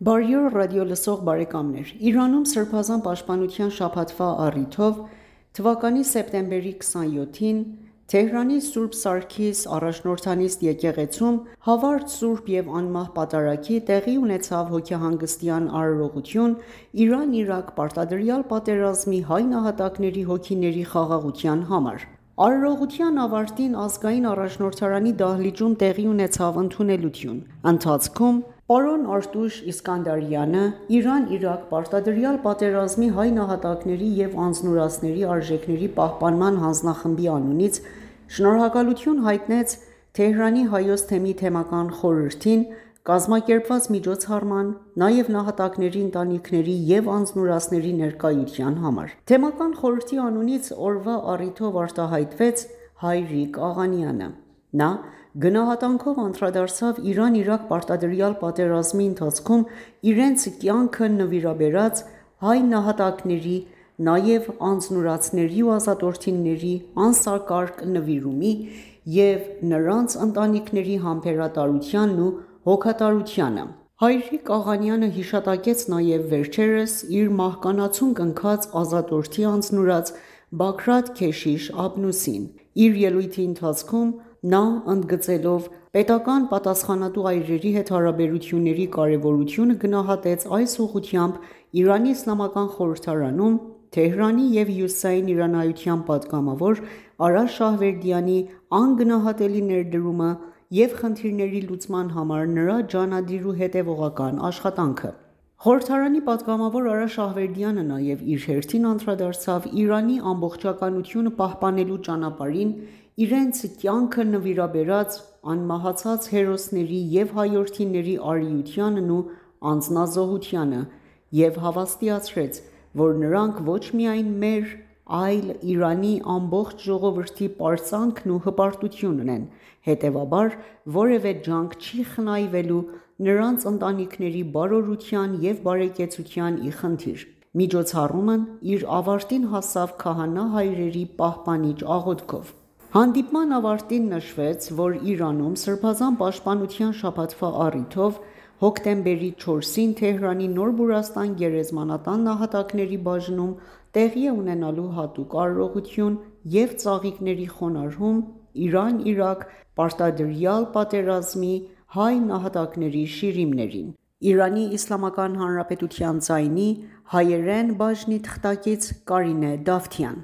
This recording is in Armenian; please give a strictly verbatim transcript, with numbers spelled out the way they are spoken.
Բարի օր ռադիոլսող բարեկամներ: Իրանում Սրբազան պաշտպանության շաբաթվա առիթով թվականի սեպտեմբերի քսանյոթին Թեհրանի Սուրբ Սարգիս առաջնորդանիստ եկեղեցում «Հավարդ, սուրբ և անմահ պատարագի» տեղի ունեցավ հոգեհանգստյան արարողություն Իրան-Իրաք պարտադրյալ պատերազմի հայ նահատակների հոգիների խաղաղության համար: Արարողության ավարտին Ազգային առաջնորդարանի դահլիճում տեղի ունեցավ ընդունելություն: Ընթացքում պարոն Արտուշ Իսկանդարյանը Իրան-Իրաք պարտադրյալ պատերազմի հայ նահատակների և անձնուրացների արժեքների պահպանման հանձնախմբի անունից շնորհակալություն հայտնեց Թեհրանի Հայոց թեմի թեմական խորհրդին կազմակերպված միջոցառման, նաև նահատակների ընտանիքների և անձնուրացների ներկայության համար: Թեմական խորհրդի անունից օրվա առիթով արտահայտվեց Հայրիկ Աղանյանը: Նա գնահատանքով անդրադարձավ Իրան-Իրաք պարտադրյալ պատերազմի ընթացքում իրենց կյանքը նվիրաբերած հայ նահատակների, նաև անձնուրացների ու ազատորդիների անսակարկ նվիրումի և նրանց ընտանիքների համբերատարությանն ու հոգատարությանը: Հայրիկ Աղանյանը հիշատակեց նաև վերջերս իր մահկանացուն կնքած ազատորդի անձնուրաց Բագրատ Քեշիշ Աբնուսին: Իր ելույթի ընթացքում նա ընդգծելով պետական պատասխանատու այրերի հետ հարաբերությունների կարևորությունը գնահատեց այս ուղղությամբ Իրանի իսլամական խորհրդարանում Թեհրանի և հյուսիսային իրանայության պատգամավոր Արաշ Շահվերդյանի անգնահատելի ներդրումը և խնդիրների լուծման համար նրա ջանադիր ու հետևողական աշխատանքը: Խորհրդարանի պատգամավոր Արաշ Շահվերդյանը նաև իր հերթին անդրադարձավ Իրանի ամբողջականությունը պահպանելու ճանապարհին իրենց կյանքը նվիրաբերած անմահացած հերոսների և հայրենիների արիությանն ու անձնազոհությանը և հավաստիացրեց, որ նրանք ոչ միայն մեր, այլ Իրանի ամբողջ ժողովրդի պարծանքն ու հպարտությունն են, հետևաբար որևէ ջանք չի խնայվելու նրանց ընտանիքների բարօրության և բարեկեցության ի խնդիր: Միջոցառումն իր ավարտին հասավ քահանա հայրերի պահպանիչ աղոթքով: Հանդիպման ավարտին նշվեց, որ Իրանում Սրբազան պաշտպանության շաբաթվա առիթով հոկտեմբերի չորսին Թեհրանի Նոր Բուրաստան գերեզմանատան նահատակների բաժնում տեղի է ունենալու հատուկ արարողություն և ծաղիկների խոնարհում Իրան-Իրաք պարտադրյալ պատերազմի հայ նահատակների շիրիմներին: ԻԻՀ ձայնի հայերեն բաժնի թղթակից Կարինե Դավթյան: